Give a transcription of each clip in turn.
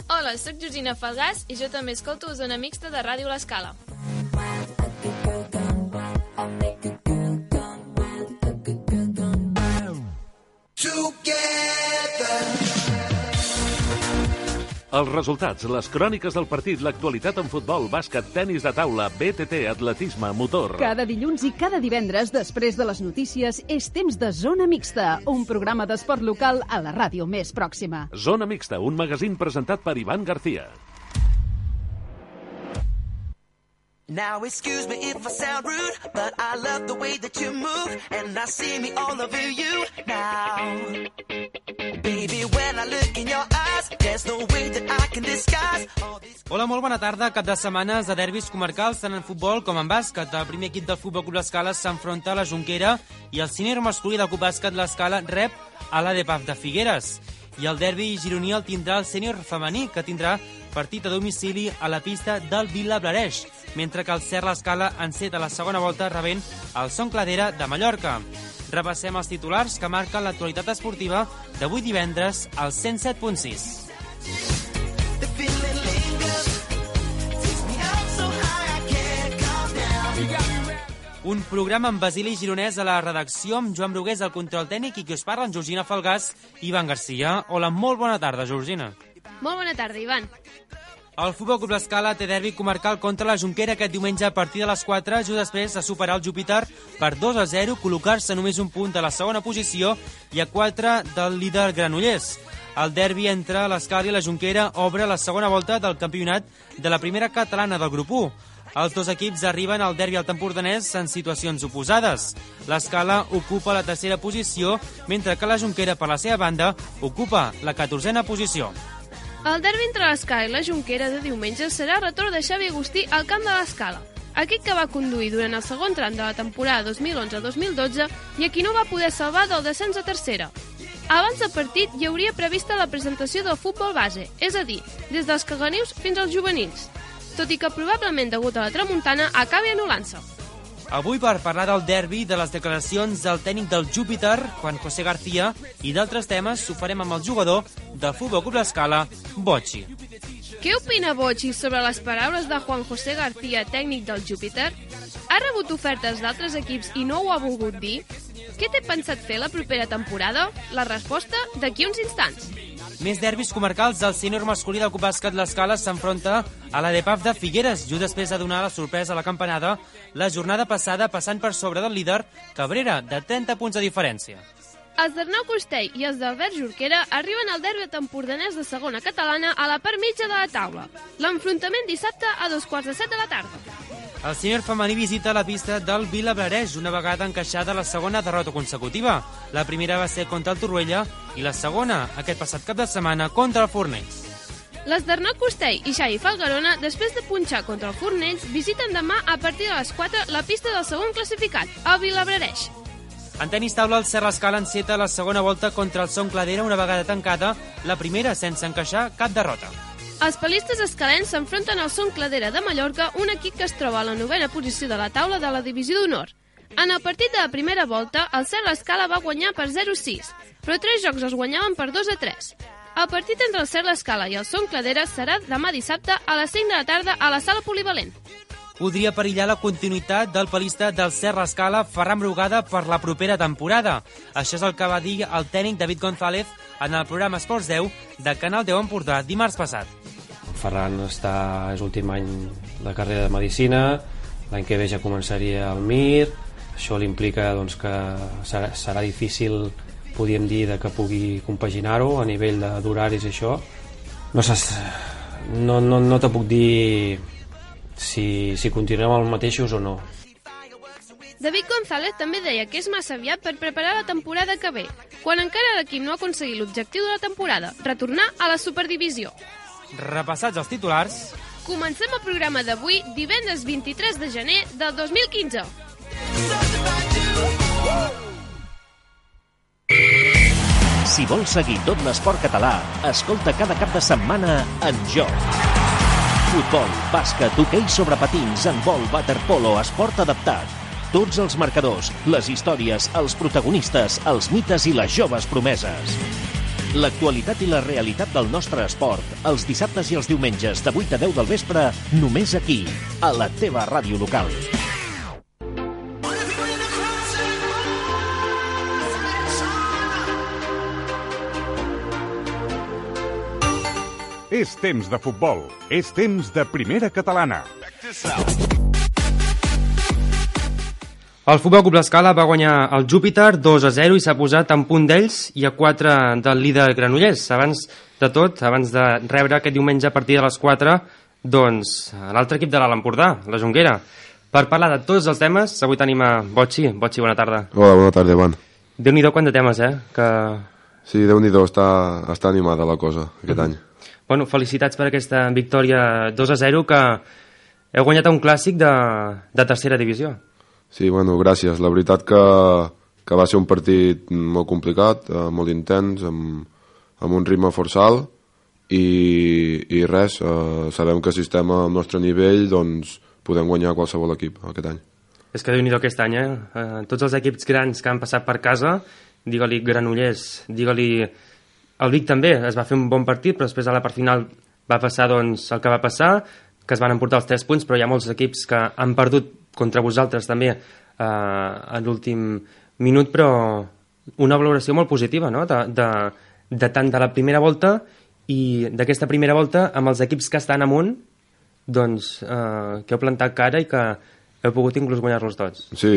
Hola, soc Georgina Falgàs i jo també escolto Zona Mixta de Ràdio L'Escala. Els resultats, les cròniques del partit, l'actualitat en futbol, bàsquet, tenis de taula, BTT, atletisme, motor. Cada dilluns i cada divendres, després de les notícies, és temps de Zona Mixta, un programa d'esport local a la ràdio més pròxima. Zona Mixta, un magazín presentat per Ivan García. Now excuse me if I sound rude, but I love the way that you move, and I see me all over you now. Baby, when I look in your eyes, there's no way that I can disguise all these... Hola, molt bona tarda. Cap de setmanes de derbis comarcals, tant en futbol com en bàsquet. El primer equip del Futbol Club L'Escala s'enfronta a la Jonquera i el sènior masculí del Club Bàsquet L'Escala rep a l'ADPAF de Figueres. I el derbi gironí el tindrà el sènior femení, que tindrà partit a domicili a la pista del Vilablareix, mentre que el Ser L'Escala enceta la segona volta rebent el Son Cladera de Mallorca. Repassem els titulars que marquen l'actualitat esportiva d'avui divendres al 107.6. Un programa amb Basili Gironès a la redacció, amb Joan Brugués al control tècnic i qui us parla, en Georgina Falgàs i Ivan García. Hola, molt bona tarda, Georgina. Molt bona tarda, Ivan. El Futbol Club L'Escala té derbi comarcal contra la Jonquera aquest diumenge a partir de les 4, just després de superar el Júpiter per 2-0, col·locar-se només un punt a la segona posició i a 4 del líder Granollers. El derbi entre l'Escala i la Jonquera obre la segona volta del campionat de la primera catalana del grup 1. Els dos equips arriben al derbi al Empordanès en situacions oposades. L'Escala ocupa la tercera posició, mentre que la Jonquera, per la seva banda, ocupa la 14a posició. El derbi entre l'Escala i la Jonquera de diumenge serà el retorn de Xavi Agustí al camp de l'Escala, aquest que va conduir durant el segon tram de la temporada 2011-2012 i a qui no va poder salvar del descens a tercera. Abans del partit hi hauria prevista la presentació del futbol base, és a dir, des dels caganius fins als juvenils, tot i que probablement degut a la tramuntana acabi anul·lant-se. Avui per parlar del derbi, de les declaracions del tècnic del Júpiter, Juan José García, i d'altres temes, ho farem amb el jugador del Futbol Club L'Escala, Bocci. Què opina Bocci sobre les paraules de Juan José García, tècnic del Júpiter? Ha rebut ofertes d'altres equips i no ho ha volgut dir? Què té pensat fer la propera temporada? La resposta d'aquí uns instants. Més derbis comarcals. El sènior masculí del Club Bàsquet L'Escala s'enfronta a l'ADPAF de Figueres, just després de donar la sorpresa a la campanada la jornada passada, passant per sobre del líder Cabrera, de 30 punts de diferència. Els d'Arnau Costell i els d'Albert Jorquera arriben al derbi empordanès de segona catalana a la part mitja de la taula. L'enfrontament dissabte a 2:15 de la tarda. El sènior femení visita la pista del Vilablareix, una vegada encaixada la segona derrota consecutiva. La primera va ser contra el Torroella i la segona, aquest passat cap de setmana, contra el Fornells. Les d'Arnau Costell i Xavi Falgarona, després de punxar contra el Fornells, visiten demà a partir de les 4 la pista del segon classificat, el Vilablareix. En tenis taula, el Ser L'Escala enceta la segona volta contra el Son Cladera, una vegada tancada, la primera sense encaixar cap derrota. Els palistes escalens s'enfronten al Son Cladera de Mallorca, un equip que es troba a la 9a posició de la taula de la divisió d'honor. En el partit de la primera volta, el Ser L'Escala va guanyar per 0-6, però 3 jocs els guanyaven per 2-3. El partit entre el Ser L'Escala i el Son Cladera serà demà dissabte a les 5 de la tarda a la sala polivalent. Podria perillar la continuïtat del palista del Ser L'Escala, Ferran Brugada, per la propera temporada. Això és el que va dir el tècnic David González en el programa Esports 10 de Canal 10 Empordà dimarts passat. Ferran és l'últim any de carrera de Medicina, l'any que ve ja començaria el MIR, això l'implica doncs, que serà difícil, podríem dir, que pugui compaginar-ho a nivell d'horaris i això. No te puc dir si continuem els mateixos o no. David González també deia que és massa aviat per preparar la temporada que ve, quan encara l'equip no ha aconseguit l'objectiu de la temporada, retornar a la Superdivisió. Repassats els titulars, comencem el programa d'avui, divendres 23 de gener del 2015. Si vols seguir tot l'esport català, escolta cada cap de setmana En Joc. Futbol, bàsquet, hoquei sobre patins, handbol, waterpolo, esport adaptat. Tots els marcadors, les històries, els protagonistes, els mites i les joves promeses. L'actualitat i la realitat del nostre esport, els dissabtes i els diumenges de 8 a 10 del vespre, només aquí, a la teva ràdio local. És temps de futbol, és temps de primera catalana. El Futbol Club L'Escala va guanyar el Júpiter 2-0 i s'ha posat en punt d'ells i a 4 del líder Granollers. Abans de tot, abans de rebre aquest diumenge a partir de les 4, doncs, l'altre equip de l'Alt Empordà, la Jonquera. Per parlar de tots els temes, avui tenim a Botxi. Botxi, bona tarda. Hola, bona tarda, Ivan. Déu-n'hi-do quant de temes, Que... Sí, Déu-n'hi-do, està animada la cosa aquest any. Bueno, felicitats per aquesta victòria 2-0 que heu guanyat un clàssic de tercera divisió. Sí, bueno, gràcies. La veritat que va ser un partit molt complicat, molt intens, amb un ritme força alt i res, sabem que si estem al nostre nivell doncs podem guanyar qualsevol equip aquest any. És que Déu-n'hi-do aquest any, tots els equips grans que han passat per casa, digue-li Granollers, digue-li... El Vic també es va fer un bon partit, però després a la part final va passar doncs, el que va passar, que es van emportar els 3 punts, però hi ha molts equips que han perdut contra vosaltres també en l'últim minut, però una valoració molt positiva, no? de tant de la primera volta i d'aquesta primera volta amb els equips que estan amunt, doncs, que heu plantat cara i que heu pogut inclús guanyar-los tots. Sí,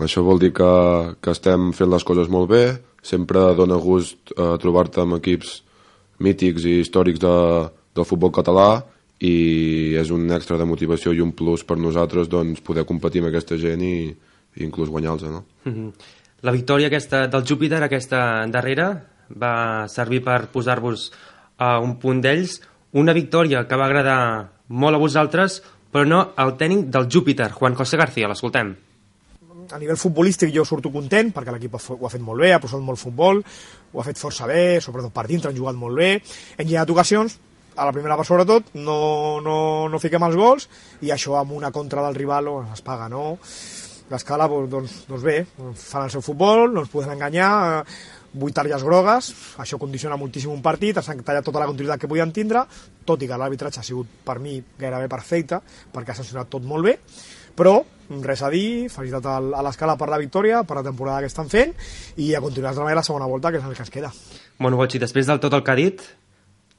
això vol dir que estem fent les coses molt bé. Sempre dona gust trobar-te amb equips mítics i històrics del futbol català i és un extra de motivació i un plus per nosaltres doncs, poder competir amb aquesta gent i inclús guanyar-los. No? La victòria aquesta del Júpiter, aquesta darrera, va servir per posar-vos a un punt d'ells. Una victòria que va agradar molt a vosaltres, però no al tècnic del Júpiter, Juan José García. L'escoltem. A nivell futbolístic jo surto content perquè l'equip ho ha fet molt bé, ha posat molt futbol, ho ha fet força bé, sobretot per dintre han jugat molt bé, hem llegat ocasions, a la primera part sobretot no fiquem els gols i això amb una contra del rival es paga, no? L'Escala doncs bé, fan el seu futbol, no ens poden enganyar, 8 targes grogues, això condiciona moltíssim un partit, ens han tallat tota la continuïtat que podien tindre, tot i que l'arbitratge ha sigut per mi gairebé perfecte perquè ha sancionat tot molt bé, però res a dir, felicitat a l'Escala per la victòria, per la temporada que estan fent i a continuar treballant la segona volta, que és el que ens queda. Bueno, Botxi, després del tot el que ha dit,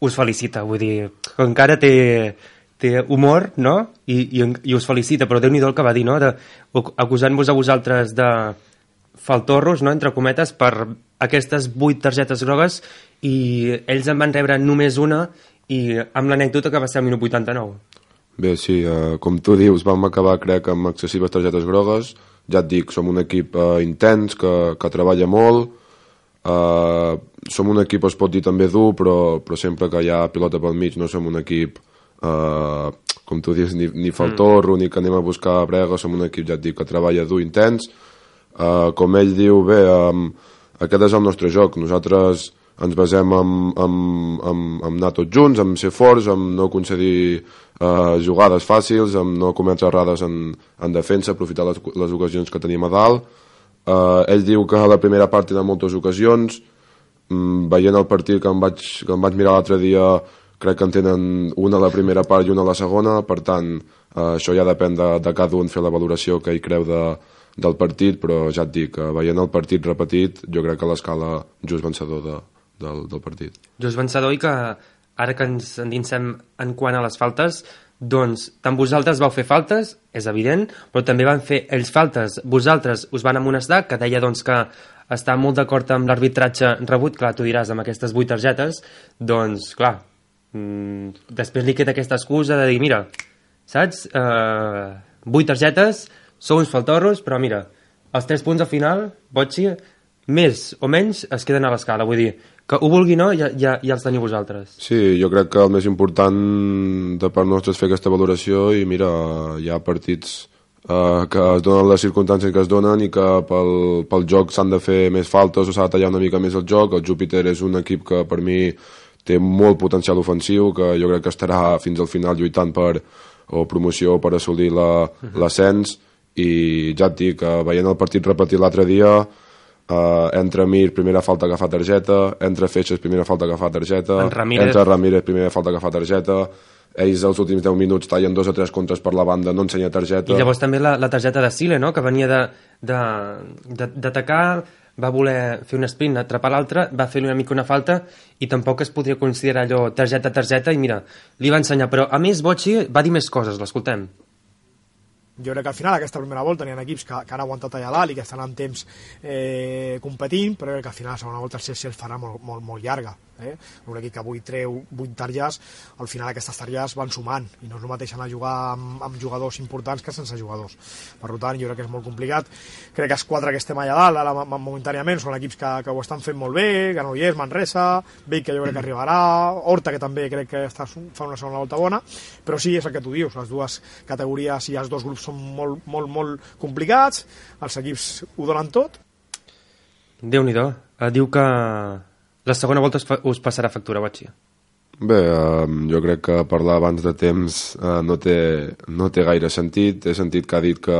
us felicita, vull dir, que encara té humor, no? I us felicita, però Déu-n'hi-do el que va dir, no? Acusant-vos a vosaltres de faltorros, no?, entre cometes, per aquestes 8 targetes grogues i ells en van rebre només una i amb l'anècdota que va ser al minut 89. Bé, sí, com tu dius, vam acabar, crec, amb excessives targetes grogues. Ja et dic, som un equip intens, que treballa molt. Som un equip, es pot dir també dur, però sempre que hi ha pilota pel mig no som un equip, com tu dius, ni faltorro, ni que anem a buscar brega. Som un equip, ja et dic, que treballa dur, intens. Com ell diu, bé, aquest és el nostre joc. Nosaltres ens basem en anar tots junts, en ser forts, en no concedir jugades fàcils, en no cometre errades en defensa, aprofitar les ocasions que tenim a dalt. Ell diu que a la primera part tenen moltes ocasions. Veient el partit que em vaig mirar l'altre dia, crec que en tenen una a la primera part i una a la segona. Per tant, això ja depèn de cada un fer la valoració que ell creu del partit, però ja et dic, veient el partit repetit, jo crec que l'Escala just vencedor del partit. Just vencedor i que ara que ens endinsem en quant a les faltes, doncs tant vosaltres vau fer faltes, és evident, però també van fer ells faltes. Vosaltres us van amonestar, que deia doncs que està molt d'acord amb l'arbitratge rebut, clar, tu diràs, amb aquestes 8 targetes, doncs clar, després li queda aquesta excusa de dir, mira, saps, 8 targetes, sou uns faltorros, però mira, els 3 punts al final, Botxi, més o menys es queden a l'Escala, vull dir, que ho vulgui no, ja els teniu vosaltres. Sí, jo crec que el més important de part nostra és fer aquesta valoració i mira, hi ha partits que es donen les circumstàncies que es donen i que pel joc s'han de fer més faltes o s'ha de tallar una mica més el joc. El Júpiter és un equip que per mi té molt potencial ofensiu, que jo crec que estarà fins al final lluitant per promoció o per assolir l'ascens, i ja et dic, veient el partit repetit l'altre dia, entra Mir, primera falta que fa targeta, entra Feixes, primera falta que fa targeta, entra Ramírez, primera falta que fa targeta, ells els últims 10 minuts tallen 2 o 3 contres per la banda, no ensenya targeta. I llavors també la targeta de Sile, no?, que venia d'atacar, va voler fer un sprint, atrapar l'altre, va fer una mica una falta i tampoc es podria considerar allò targeta i mira, li va ensenyar, però a més Bocci va dir més coses, l'escoltem. Jo crec que al final aquesta primera volta n'hi ha equips que han aguantat allà dalt i que estan en temps competint, però crec que al final la segona volta se'ls farà molt llarga. Un equip que avui treu 8 targes, al final aquestes targes van sumant i no és el mateix anar a jugar amb jugadors importants que sense jugadors. Per tant, jo crec que és molt complicat. Crec que els 4 que estem allà dalt ara momentàniament són equips que ho estan fent molt bé, Granollers, Manresa, Vic, que jo crec que arribarà, Horta, que també crec que fa una segona volta bona, però sí, és el que tu dius, les dues categories i els dos grups són molt complicats, els equips ho donen tot. Déu-n'hi-do. Diu que la segona volta us passarà factura, Bocci. Bé, jo crec que parlar abans de temps no té gaire sentit. He sentit que ha dit que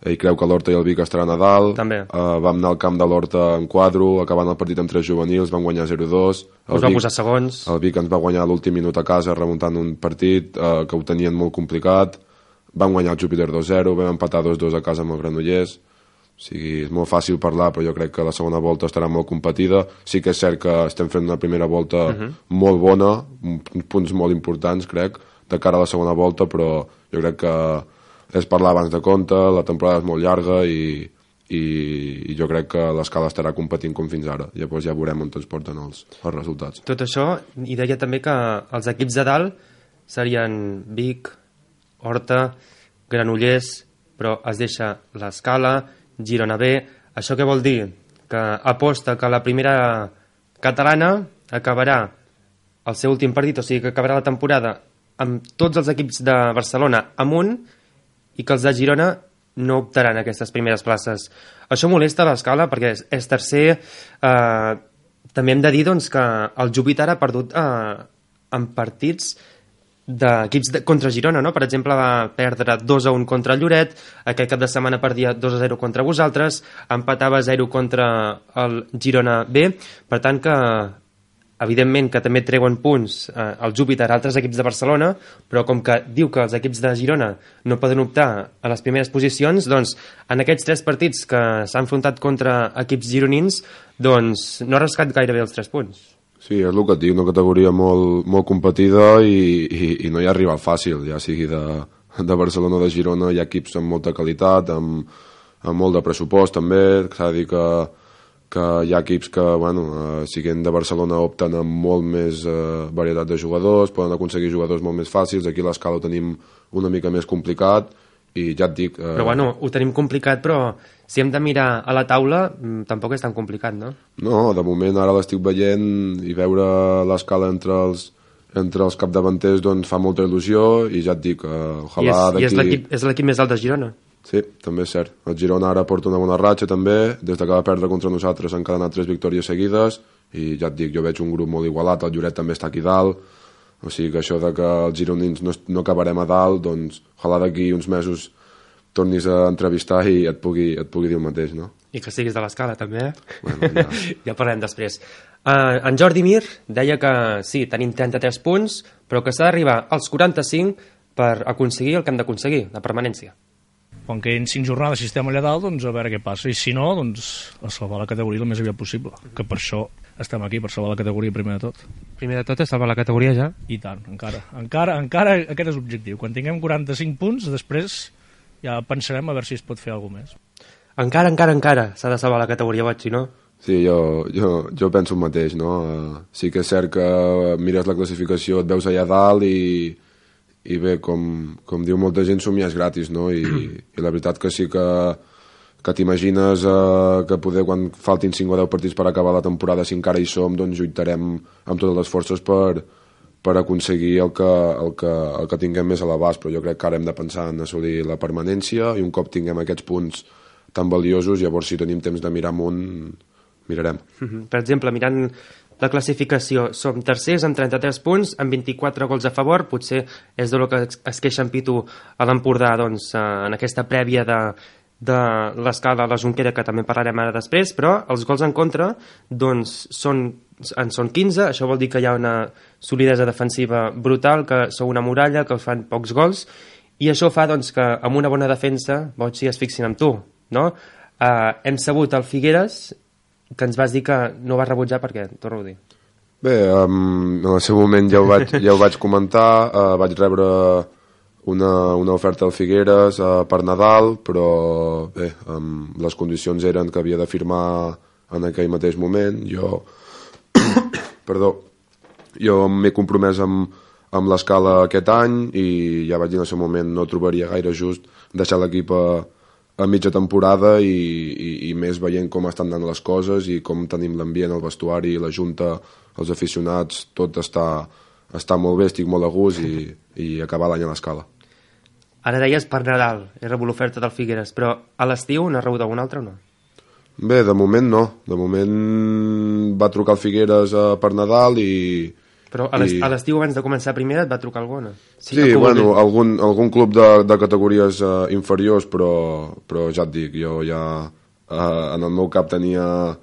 ell creu que l'Horta i el Vic estaran a dalt. També. Vam anar al camp de l'Horta en quadro, acabant el partit amb 3 juvenils, vam guanyar 0-2. Us va posar segons. El Vic ens va guanyar l'últim minut a casa, remuntant un partit que ho tenien molt complicat. Vam guanyar el Júpiter 2-0, vam empatar 2-2 a casa amb el Granollers. O sigui, és molt fàcil parlar, però jo crec que la segona volta estarà molt competida. Sí que és cert que estem fent una primera volta molt bona, punts molt importants, crec, de cara a la segona volta, però jo crec que és parlar abans de compte, la temporada és molt llarga i jo crec que l'Escala estarà competint com fins ara. Llavors ja veurem on ens porten els resultats. Tot això, i deia també que els equips de dalt serien Vic, Horta, Granollers, però es deixa l'Escala, Girona B. Això què vol dir? Que aposta que la primera catalana acabarà el seu últim partit, o sigui que acabarà la temporada amb tots els equips de Barcelona amunt i que els de Girona no optaran a aquestes primeres places. Això molesta l'Escala perquè és tercer. També hem de dir doncs, que el Júpiter ha perdut en partits d'equips contra Girona, no? Per exemple, va perdre 2-1 contra el Lloret, aquest cap de setmana perdia 2-0 contra vosaltres, empatava 0 contra el Girona B, per tant que evidentment que també treuen punts el Júpiter a altres equips de Barcelona, però com que diu que els equips de Girona no poden optar a les primeres posicions, doncs en aquests 3 partits que s'han enfrontat contra equips gironins, doncs no ha rascat gairebé els 3 punts. Sí, és el que et dic, una categoria molt competida i no hi ha rival fàcil, ja sigui de Barcelona o de Girona, hi ha equips amb molta qualitat, amb molt de pressupost també, s'ha de dir que hi ha equips que, siguent de Barcelona, opten amb molt més varietat de jugadors, poden aconseguir jugadors molt més fàcils, aquí a l'Escala ho tenim una mica més complicat, i ja et dic... Però ho tenim complicat, però si hem de mirar a la taula tampoc és tan complicat, no? No, de moment ara l'estic veient i veure l'Escala entre els capdavanters doncs fa molta il·lusió i ja et dic, ojalà d'aquí... I és l'equip més alt de Girona. Sí, també és cert. El Girona ara porta una bona ratxa també, des que va perdre contra nosaltres han encadenat 3 victòries seguides i ja et dic, jo veig un grup molt igualat, el Lloret també està aquí dalt, o sigui que això de que els gironins no acabarem a dalt, doncs ojalà d'aquí uns mesos tornis a entrevistar i et pugui dir el mateix, no? I que siguis de l'Escala, també, Bueno, ja parlem després. En Jordi Mir deia que sí, tenim 33 punts, però que s'ha d'arribar als 45 per aconseguir el que hem d'aconseguir, la permanència. Quan quedin 5 jornades si estem allà dalt, doncs a veure què passa. I si no, doncs a salvar la categoria el més aviat possible. Que per això estem aquí, per salvar la categoria primer de tot. Primer de tot és salvar la categoria ja? I tant, encara aquest és l'objectiu. Quan tinguem 45 punts, després ja pensarem a veure si es pot fer alguna més. Encara s'ha de salvar la categoria, Bocci, no? Sí, jo penso el mateix, no? Sí que és cert que mires la classificació, et veus allà dalt i bé, com diu molta gent, somiar és gratis, no? I la veritat que sí que t'imagines que poder, quan faltin 5 o 10 partits per acabar la temporada, si encara hi som, doncs lluitarem amb totes les forces per aconseguir el que tinguem més a l'abast, però jo crec que ara hem de pensar en assolir la permanència i un cop tinguem aquests punts tan valiosos, llavors si tenim temps de mirar amunt, mirarem. Per exemple, mirant la classificació, som tercers amb 33 punts, amb 24 gols a favor, potser és de lo que es queixa en Pitu a l'Empordà, doncs, en aquesta prèvia de l'Escala a la Jonquera, que també parlarem ara després, però els gols en contra doncs, són 15, això vol dir que hi ha una solidesa defensiva brutal, que sou una muralla, que us fan pocs gols, i això fa doncs, que amb una bona defensa Botxi es fixin amb tu, no? Hem sabut al Figueres que ens vas dir que no vas rebutjar perquè, torno a dir. Bé, en el seu moment ja ho vaig comentar, vaig rebre una oferta al Figueres per Nadal, però bé, les condicions eren que havia de firmar en aquell mateix moment. Jo m'he compromès amb l'Escala aquest any i ja vaig dir en el seu moment no trobaria gaire just deixar l'equip a mitja temporada i més veient com estan anant les coses i com tenim l'ambient, el vestuari, la junta, els aficionats, tot està molt bé, estic molt a gust i acabar l'any a l'Escala. Ara deies per Nadal, he rebut l'oferta del Figueres, però a l'estiu n'has rebut algun altre o no? Bé, de moment no. De moment va trucar el Figueres per Nadal i... Però a l'estiu abans de començar primera et va trucar algú, no? Sí, bueno, algun club de categories inferiors, però ja et dic, jo ja en el meu cap tenia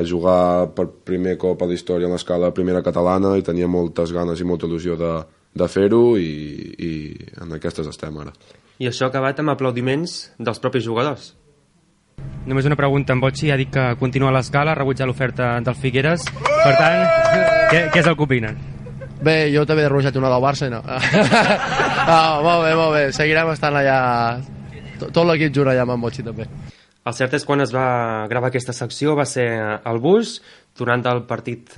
jugar per primer cop a la història en l'Escala primera catalana i tenia moltes ganes i molta il·lusió de fer-ho i en aquestes estem ara. I això ha acabat amb aplaudiments dels propis jugadors. Només una pregunta, en Botxi ha dit que continua a l'Escala, ha rebutjat l'oferta del Figueres, per tant, què és el que opinen? Bé, jo també he rebutjat una del Barça i no. Molt bé, seguirem estant allà, tot l'equip jura allà amb en Botxi també. El cert és quan es va gravar aquesta secció va ser al bus, durant el partit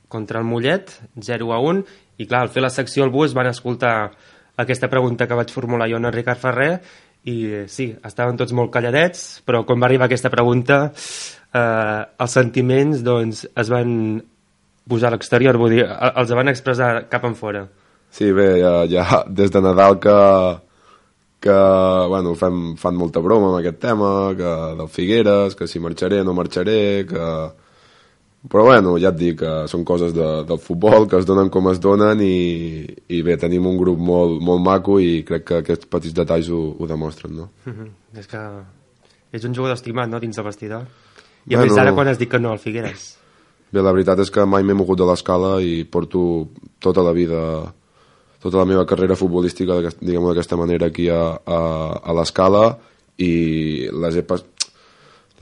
contra el Mollet, 0-1, i clar, al fer la secció al bus van escoltar aquesta pregunta que vaig formular jo en Ricard Ferrer, i sí, estaven tots molt calladets, però quan va arribar aquesta pregunta els sentiments doncs, es van posar a l'exterior, vull dir, els van expressar cap en fora. Sí, bé, ja des de Nadal que bueno, fan molta broma amb aquest tema, que del Figueres, que si marxaré no marxaré, però bueno, ja et dic que són coses del futbol, que es donen com es donen i bé, tenim un grup molt maco i crec que aquests petits detalls ho demostren, no? És que és un jugador estimat, no?, dins del vestidor. I a més ara quan has dit que no al Figueres. Bé, la veritat és que mai m'he mogut de l'Escala i porto tota la vida, tota la meva carrera futbolística, diguem-ho d'aquesta manera, aquí a l'Escala i la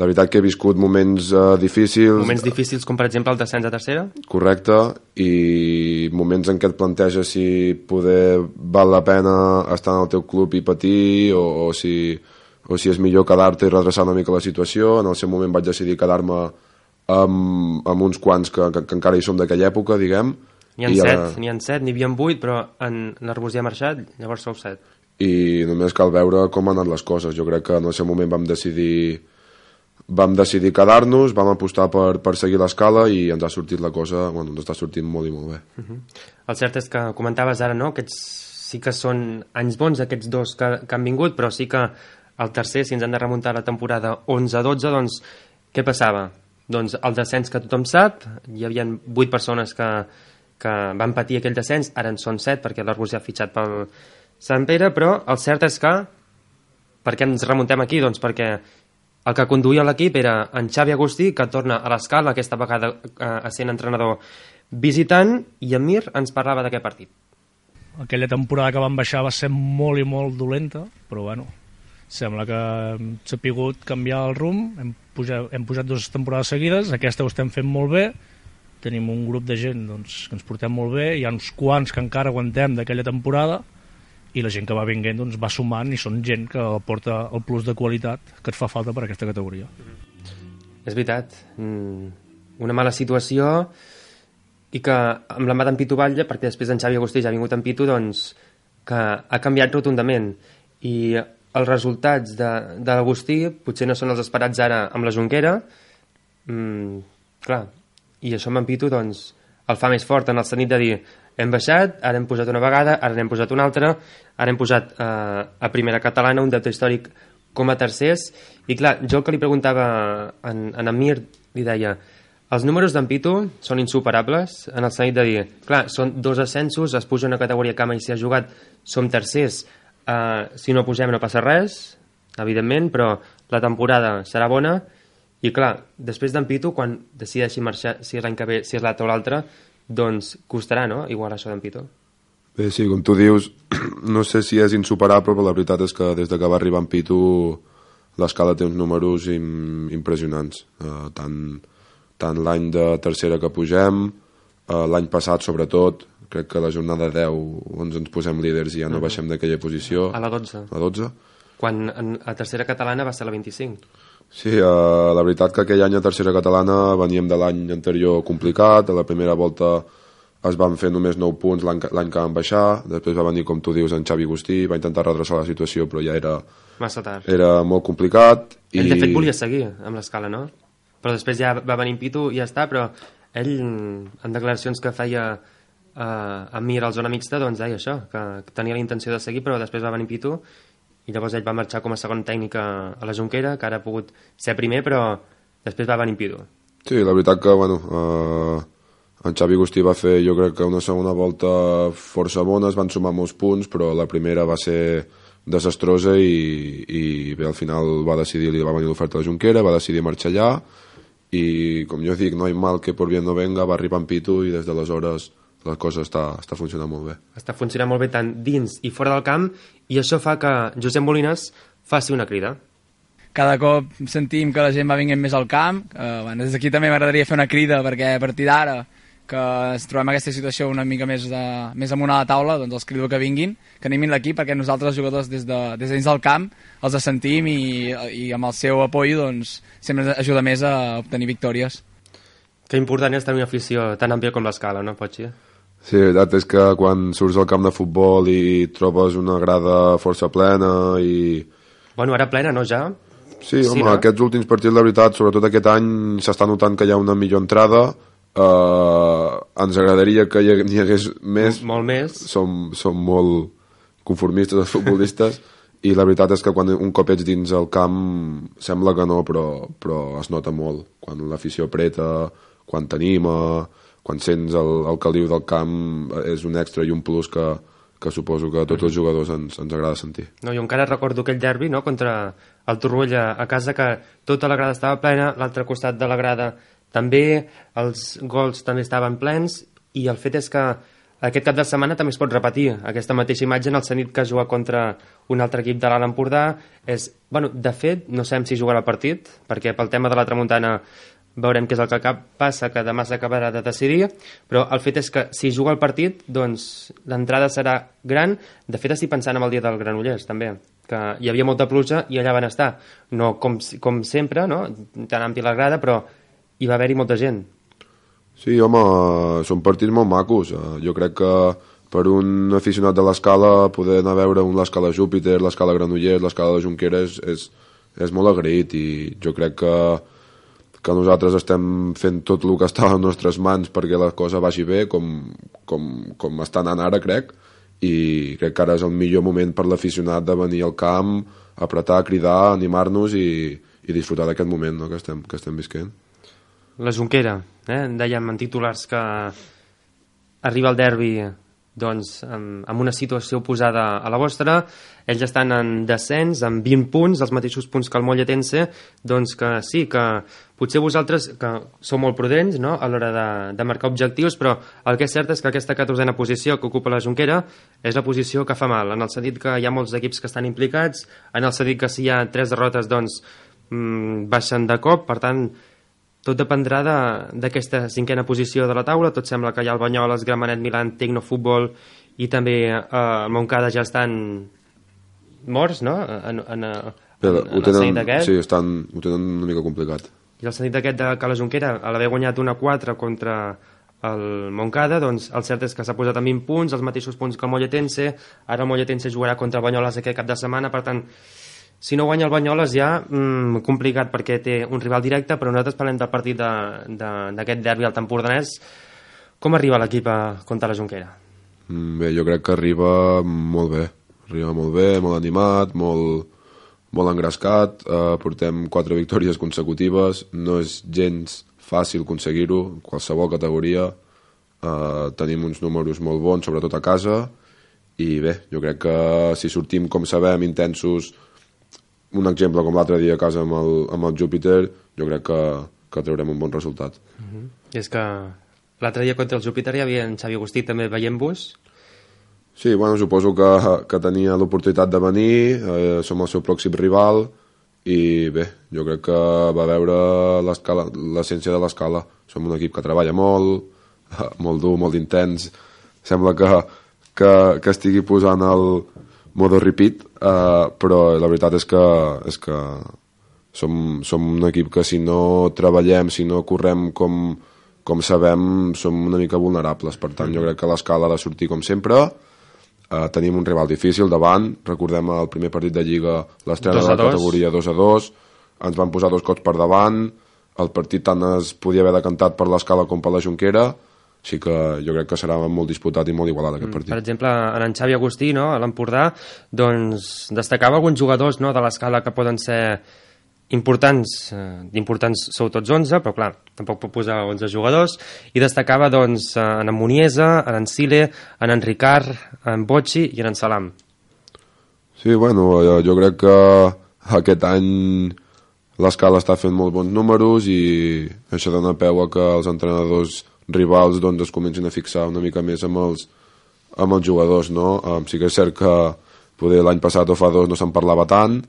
veritat que he viscut moments difícils. Moments difícils com per exemple el descens a tercera? Correcte, i moments en què et planteges si poder val la pena estar en el teu club i patir o si és millor quedar-te i redreçar una mica la situació. En el seu moment vaig decidir quedar-me amb uns quants que encara hi som d'aquella època, diguem. N'hi ha 7, n'hi havia 8, però en l'Arbúcies ha marxat, llavors sou 7. I només cal veure com han anat les coses. Jo crec que en el seu moment vam decidir quedar-nos, vam apostar per seguir l'Escala i ens ha sortit la cosa, bueno, ens està sortint molt i molt bé. El cert és que comentaves ara, no?, aquests sí que són anys bons, aquests dos que han vingut, però sí que el tercer, si ens han de remuntar a la temporada 11-12, doncs què passava? Doncs el descens que tothom sap, hi havia 8 persones que van patir aquell descens, ara en són 7 perquè l'Arbúcies ha fitxat pel Sant Pere, però el cert és que, per què ens remuntem aquí? Doncs perquè el que conduïa l'equip era en Xavi Agustí, que torna a l'Escala, aquesta vegada sent entrenador visitant, i en Mir ens parlava d'aquest partit. Aquella temporada que van baixar va ser molt i molt dolenta, però bueno, sembla que hem sapigut canviar el rumb, hem pujat 2 temporades seguides, aquesta ho estem fent molt bé, tenim un grup de gent doncs, que ens portem molt bé, hi ha uns quants que encara aguantem d'aquella temporada, i la gent que va vinguent doncs, va sumant i són gent que aporta el plus de qualitat que et fa falta per a aquesta categoria. És veritat, una mala situació i que amb l'embat en Pitu Batlle, perquè després en Xavi Agustí ja ha vingut en Pitu, doncs que ha canviat rotundament i els resultats de l'Agustí potser no són els esperats ara amb la Jonquera, clar, i això amb en Pitu doncs el fa més fort en el sentit de dir hem baixat, ara hem posat una vegada, ara n'hem posat una altra, ara hem posat a primera catalana un deute històric com a tercers, i clar, jo el que li preguntava en Mir, li deia els números d'en Pitu són insuperables en el sentit de dir, clar, són 2 ascensos, es puja una categoria que mai s'hi ha jugat, som tercers, si no pugem no passa res, evidentment, però la temporada serà bona i clar, després d'en Pitu, quan decideixi marxar, si és l'any que ve, si és l'altre o l'altre, doncs costarà, no?, igual això d'en Pitu. Bé, sí, com tu dius, no sé si és insuperable, però la veritat és que des que va arribar en Pitu l'escala té uns números impressionants. Tant l'any de tercera que pugem, l'any passat sobretot, crec que a la jornada 10 ens posem líders i ja no baixem d'aquella posició. A la 12. A 12. Quan a tercera catalana va ser la 25. Sí, la veritat que aquell any a tercera catalana veníem de l'any anterior complicat, a la primera volta es van fer només 9 punts l'any que van baixar, després va venir, com tu dius, en Xavi Agustí, va intentar redreçar la situació, però ja era massa tard. Era molt complicat. Ell, de fet, volia seguir amb l'escala, no? Però després ja va venir en Pitu i ja està, però ell, en declaracions que feia a Mir al Zona Mixta, doncs deia això, que tenia la intenció de seguir, però després va venir Pitu i llavors ell va marxar com a segon tècnic a la Jonquera, que ara ha pogut ser primer, però després va venir Pitu. Sí, la veritat que, bueno, en Xavi Agustí va fer, jo crec que una segona volta força bona, es van sumar molts punts, però la primera va ser desastrosa i bé, al final va decidir, li va venir l'oferta a la Jonquera, va decidir marxar allà i, com jo dic, no hay mal que por bien no venga, va arribar en Pitu i des d'aleshores la cosa està funcionant molt bé. Està funcionant molt bé tant dins i fora del camp i això fa que Josep Molines faci una crida. Cada cop sentim que la gent va venint més al camp. Des d'aquí també m'agradaria fer una crida perquè a partir d'ara que ens trobem en aquesta situació una mica més amunt a la taula, doncs els crido que vinguin, que animin l'equip perquè nosaltres els jugadors des dins del camp els sentim i amb el seu apoyo doncs, sempre ens ajuda més a obtenir victòries. Que important és tenir una afició tan àmplia com l'Escala, no, Pochi? Sí, la veritat és que quan surts al camp de futbol i trobes una grada força plena i... Bueno, ara plena, no, ja? Sí, home, no? Aquests últims partits, la veritat, sobretot aquest any, s'està notant que hi ha una millor entrada. Ens agradaria que n'hi hagués més. Molt més. Som molt conformistes els futbolistes i la veritat és que quan un cop ets dins el camp sembla que no, però es nota molt. Quan l'afició apreta, quan t'anima... quan sents el caliu del camp és un extra i un plus que suposo que a tots els jugadors ens agrada sentir. No, jo encara recordo aquell derbi, no?, contra el Torroella a casa, que tota la grada estava plena, l'altre costat de la grada també, els gols també estaven plens i el fet és que aquest cap de setmana també es pot repetir aquesta mateixa imatge en el sentit que jugar contra un altre equip de l'Alt Empordà és, bueno, de fet, no sabem si jugarà el partit, perquè pel tema de la tramuntana veurem què és el que passa, que demà s'acabarà de decidir, però el fet és que si juga el partit, doncs l'entrada serà gran. De fet, estic pensant en el dia del Granollers, també, que hi havia molta pluja i allà van estar. No com sempre, no?, tan àmplia la grada, però hi va haver-hi molta gent. Sí, home, són partits molt macos. Jo crec que per un aficionat de l'Escala poder anar a veure l'Escala Júpiter, l'Escala Granollers, l'Escala de Jonquera és molt agraït i jo crec que nosaltres estem fent tot el que està a les nostres mans perquè la cosa vagi bé, com està anant ara, crec, i crec que ara és el millor moment per l'aficionat de venir al camp, apretar, cridar, animar-nos i disfrutar d'aquest moment, no?, que estem visquent. La Jonquera, dèiem en titulars que arriba el derbi doncs, amb una situació oposada a la vostra. Ells estan en descens, amb 20 punts, els mateixos punts que el Molletense, doncs que sí, que potser vosaltres, que sou molt prudents, no?, a l'hora de marcar objectius, però el que és cert és que aquesta 14a posició que ocupa la Jonquera és la posició que fa mal, en el sentit que hi ha molts equips que estan implicats, en el sentit que si hi ha 3 derrotes, doncs baixen de cop, per tant, tot dependrà d'aquesta 5a posició de la taula. Tot sembla que hi ha el Banyoles, Gramenet, Milan, Tecnofutbol i també el Montcada ja estan morts, no?, en el sentit d'aquest. Sí, ho tenen una mica complicat. I el sentit d'aquest que la Jonquera, a l'haver guanyat 1-4 contra el Montcada, doncs el cert és que s'ha posat amb 20 punts, els mateixos punts que el Molletense. Ara el Molletense jugarà contra el Banyoles aquest cap de setmana, per tant, si no guanya el Banyoles ja complicat perquè té un rival directe, però nosaltres parlem del partit d'aquest derbi al Empordanès. Com arriba l'equip contra la Jonquera? Bé, jo crec que arriba molt bé, molt animat, molt engrescat. Portem 4 victòries consecutives, no és gens fàcil aconseguir-ho en qualsevol categoria. Tenim uns números molt bons, sobretot a casa, i bé, jo crec que si sortim, com sabem, intensos, un exemple com l'altre dia a casa amb el Júpiter, jo crec que traurem un bon resultat. I és que l'altre dia contra el Júpiter hi havia en Xavi Agustí també veient-vos. Sí, bueno, suposo que tenia l'oportunitat de venir, som el seu pròxim rival, i bé, jo crec que va veure l'essència de l'Escala. Som un equip que treballa molt dur, molt intens. Sembla que estigui posant el modo repeat, però la veritat és que som un equip que si no treballem, si no correm com sabem, som una mica vulnerables. Per tant, jo crec que l'Escala ha de sortir com sempre. Tenim un rival difícil davant. Recordem el primer partit de Lliga, l'estrena de la categoria 2-2, ens van posar 2 cops per davant, el partit tant es podia haver decantat per l'Escala com per la Jonquera, així que jo crec que serà molt disputat i molt igualat aquest partit. Per exemple, en Xavi Agustí, no, a l'Empordà, doncs destacava alguns jugadors, no, de l'Escala que poden ser importants sou tots 11, però clar, tampoc pot posar 11 jugadors, i destacava doncs en Muniesa, en Sile, en Ricard, en Bocci i en Salam. Sí, bueno, jo crec que aquest any l'Escala està fent molt bons números i això dona peu a que els entrenadors rivals doncs, es comencin a fixar una mica més amb els jugadors, no? Sí que és cert que poder l'any passat o fa 2 no se'n parlava tant,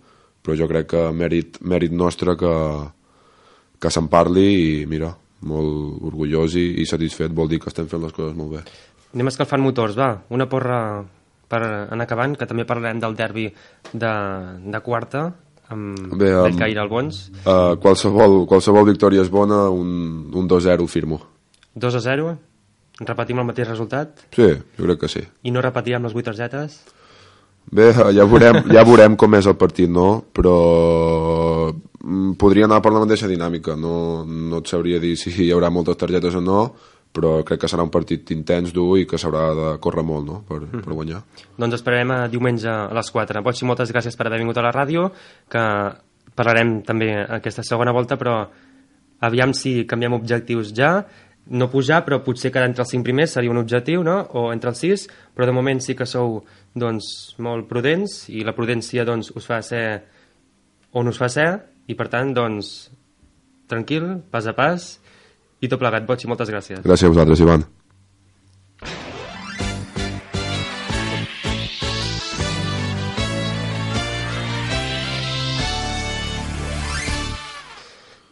però jo crec que mèrit nostre que se'n parli i mira, molt orgullós i satisfet, vol dir que estem fent les coses molt bé. Anem escalfant motors, va, una porra per anar acabant, que també parlarem del derbi de quarta amb Bellcaire Albons. Qualsevol victòria és bona, un 2-0 firmo. 2-0? Repetim el mateix resultat? Sí, jo crec que sí. I no repetirem les 8 targetes? Bé, ja veurem com és el partit, no? Però podria anar per la mateixa dinàmica. No et sabria dir si hi haurà moltes targetes o no, però crec que serà un partit intens, dur i que s'haurà de córrer molt, no?, per guanyar. Doncs esperarem diumenge a les 4. Bocci, moltes gràcies per haver vingut a la ràdio, que parlarem també aquesta segona volta, però aviam si canviem objectius ja. No pujar, però potser quedar entre els 5 primers seria un objectiu, no? O entre els 6, però de moment sí que sou doncs, molt prudents i la prudència doncs, us fa ser on us fa ser i per tant, doncs, tranquil, pas a pas i tot plegat. Bocci, moltes gràcies. Gràcies a vosaltres, Ivan.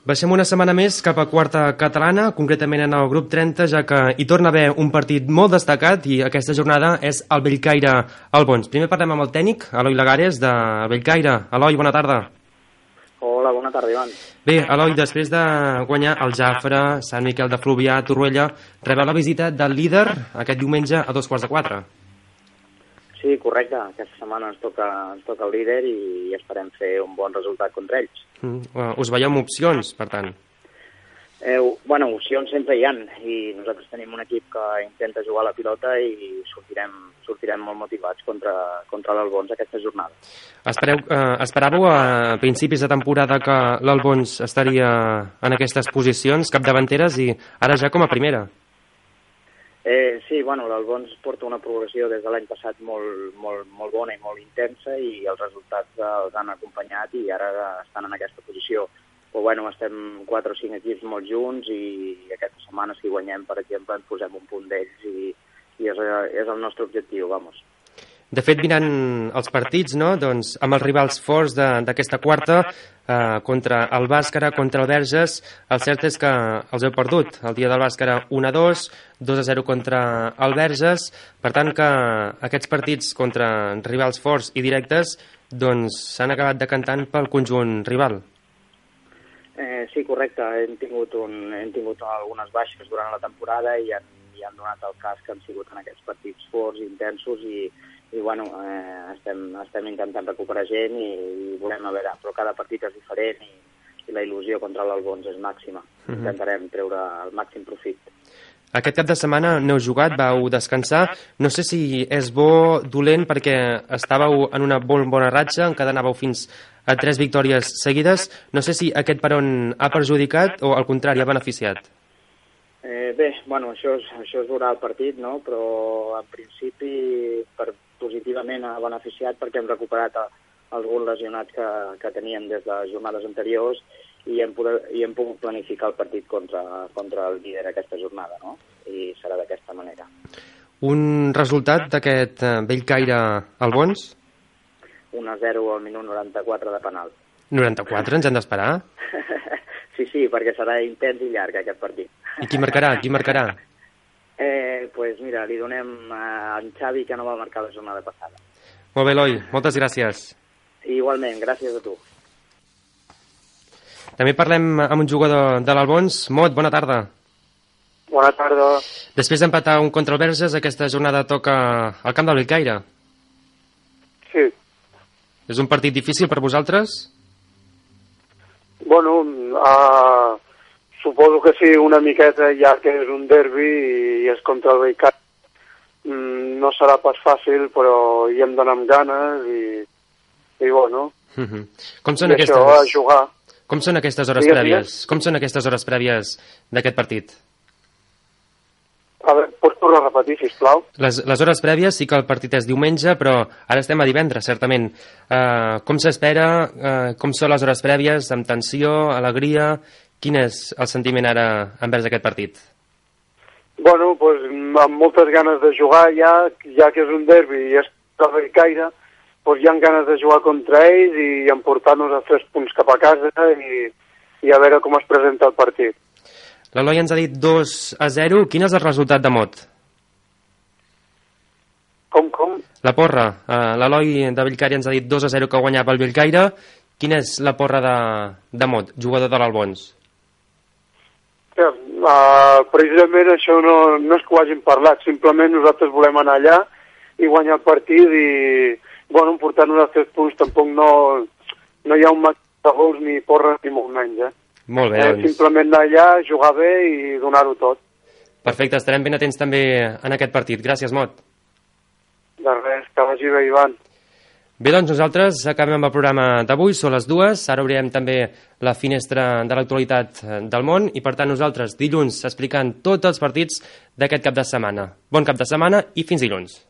Baixem una setmana més cap a quarta catalana, concretament en el grup 30, ja que hi torna a haver un partit molt destacat i aquesta jornada és el Bellcaire Albons. Primer parlem amb el tècnic, Eloi Lagares, de Bellcaire. Eloi, bona tarda. Hola, bona tarda, Ivan. Bé, Eloi, després de guanyar el Jafre, Sant Miquel de Fluvià, Torroella, rebeu la visita del líder aquest diumenge a 3:15. Sí, correcte. Aquesta setmana ens toca el líder i esperem fer un bon resultat contra ells. Us veieu amb opcions, per tant? Bueno, opcions sempre hi ha i nosaltres tenim un equip que intenta jugar a la pilota i sortirem molt motivats contra l'Albons aquesta jornada. Esperàveu a principis de temporada que l'Albons estaria en aquestes posicions capdavanteres i ara ja com a primera? Sí, bueno, l'Albons porta una progressió des de l'any passat molt bona i molt intensa i els resultats els han acompanyat i ara estan en aquesta posició. Però bueno, estem 4 o 5 equips molt junts i aquesta setmana si guanyem, per exemple, ens posem un punt d'ells i és el nostre objectiu, vamos. De fet, mirant els partits, no? Doncs, amb els rivals forts d'aquesta quarta, contra el Bàscara, contra el Verges, el cert és que els heu perdut. El dia del Bàscara 1-2, 2-0 contra el Verges, per tant que aquests partits contra rivals forts i directes doncs s'han acabat decantant pel conjunt rival. Sí, correcte. Hem tingut algunes baixes durant la temporada i han donat el cas que han sigut en aquests partits forts, intensos i bueno, estem intentant recuperar gent i volem a veure, però cada partit és diferent i la il·lusió contra l'Albons és màxima. Intentarem treure el màxim profit. Aquest cap de setmana no heu jugat, vau descansar. No sé si és bo, dolent, perquè estàveu en una bona ratxa, encadenàveu fins a 3 victòries seguides. No sé si aquest peron ha perjudicat o, al contrari, ha beneficiat. Bé, bueno, això es veurà al partit, no? Però en principi positivament ha beneficiat perquè hem recuperat alguns lesionats que tenien des de jornades anteriors i hem pogut planificar el partit contra el líder aquesta jornada, no? I serà d'aquesta manera. Un resultat d'aquest Bellcaire Albons? 1-0 al minut 94 de penal. 94, ens hem d'esperar? Sí, perquè serà intens i llarg aquest partit. I qui marcarà? Pues mira, li donem a en Xavi, que no va marcar la jornada passada. Molt bé, Eloi, moltes gràcies. Igualment, gràcies a tu. També parlem amb un jugador de l'Albons. Mot, bona tarda. Bona tarda. Després d'empatar un contra el Verges, aquesta jornada toca al camp del Bellcaire. Sí. És un partit difícil per vosaltres? Bueno, suposo que sí, una miqueta, ja que és un derbi i és contra el Bellcaire. No serà pas fàcil, però hi hem d'anar amb ganes i bueno. Com són aquestes... això, a jugar. Com són aquestes hores prèvies? Com són aquestes hores prèvies d'aquest partit? A veure, pots tornar a repetir, sisplau? Les hores prèvies sí que el partit és diumenge, però ara estem a divendres, certament. Com s'espera? Com són les hores prèvies? Amb tensió, alegria? Quin és el sentiment ara envers aquest partit? Bueno, pues, amb moltes ganes de jugar, ja que és un derbi i és el Bellcaire, pues hi ha ganes de jugar contra ells i emportar-nos a 3 punts cap a casa i a veure com es presenta el partit. L'Eloi ens ha dit 2-0. Quin és el resultat de Mot? Com? La porra. L'Eloi de Bellcaire ens ha dit 2-0 que guanyava el Bellcaire. Quina és la porra de Mot, jugador de l'Albons? Precisament això no és que ho hagin parlat, simplement nosaltres volem anar allà i guanyar el partit i bueno, portar-nos a 3 punts tampoc no hi ha un màxim de gols ni porra ni molt menys. Molt bé, doncs. Simplement anar allà, jugar bé i donar-ho tot. Perfecte, estarem ben atents també en aquest partit. Gràcies, Mot. De res, que vagi bé, Ivan. Bé, doncs nosaltres acabem amb el programa d'avui, són les 2, ara obrirem també la finestra de l'actualitat del món i per tant nosaltres dilluns explicant tots els partits d'aquest cap de setmana. Bon cap de setmana i fins dilluns.